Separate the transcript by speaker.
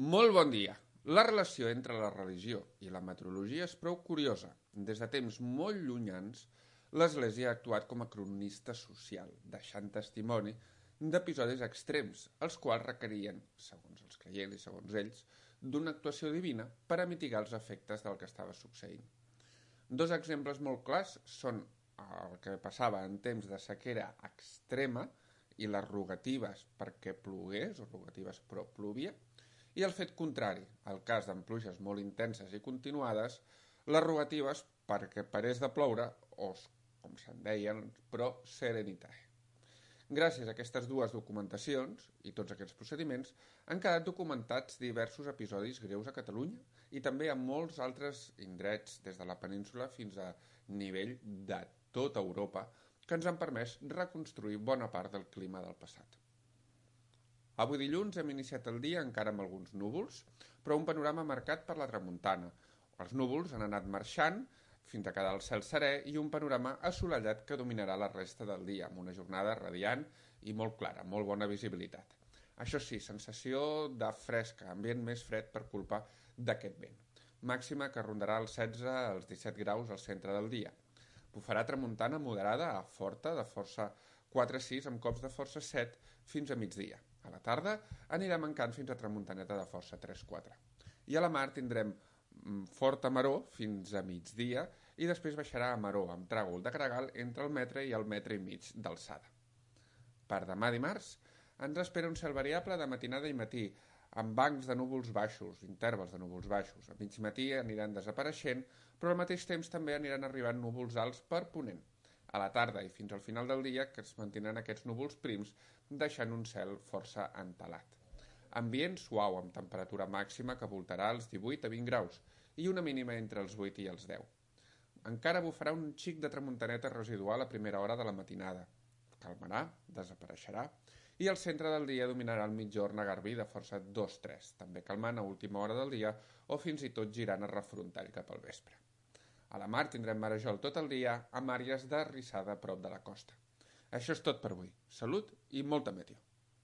Speaker 1: Molt bon dia. La relació entre la religió i la meteorologia és prou curiosa. Des de temps molt llunyans, l'Església ha actuat com a cronista social, deixant testimoni d'episodis extrems, els quals requerien, segons els creients i segons ells, d'una actuació divina per a mitigar els efectes del que estava succeint. Dos exemples molt clars són el que passava en temps de sequera extrema i les rogatives perquè plogués, o rogatives però plovia, i el fet contrari, el cas d'en pluges molt intenses i continuades, les rogatives perquè parés de ploure, o, com se'n deien, pro serenitae. Gràcies a aquestes dues documentacions i tots aquests procediments han quedat documentats diversos episodis greus a Catalunya i també a molts altres indrets des de la península fins a nivell de tota Europa que ens han permès reconstruir bona part del clima del passat. Avui dilluns hem iniciat el dia encara amb alguns núvols, però un panorama marcat per la tramuntana. Els núvols han anat marxant fins a quedar el cel serè i un panorama assolellat que dominarà la resta del dia, amb una jornada radiant i molt clara, molt bona visibilitat. Això sí, sensació de fresca, ambient més fred per culpa d'aquest vent. Màxima que rondarà els 16 als 17 graus al centre del dia. Bufarà tramuntana moderada a forta, de força 4-6 amb cops de força 7 fins a migdia. A la tarda anirà mancant fins a tramuntaneta de força 3-4. I a la mar tindrem forta maror fins a migdia i després baixarà a maror amb tràgol de gregal entre el metre i el metre i mig d'alçada. Per demà dimarts ens espera un cel variable de matinada i matí amb bancs de núvols baixos, intervals de núvols baixos. A mig matí aniran desapareixent, però al mateix temps també aniran arribant núvols alts per ponent. A la tarda i fins al final del dia que es mantindran aquests núvols prims deixant un cel força entelat. Ambient suau amb temperatura màxima que voltarà als 18 a 20 graus i una mínima entre els 8 i els 10. Encara bufarà un xic de tramuntaneta residual a primera hora de la matinada. Calmarà, desapareixerà i al centre del dia dominarà el mitjorn a garbí de força 2-3, també calmant a última hora del dia o fins i tot girant a refrontall cap al vespre. A la mar tindrem marejol tot el dia amb àrees de rissada a prop de la costa. Això és tot per avui. Salut i molta meteo.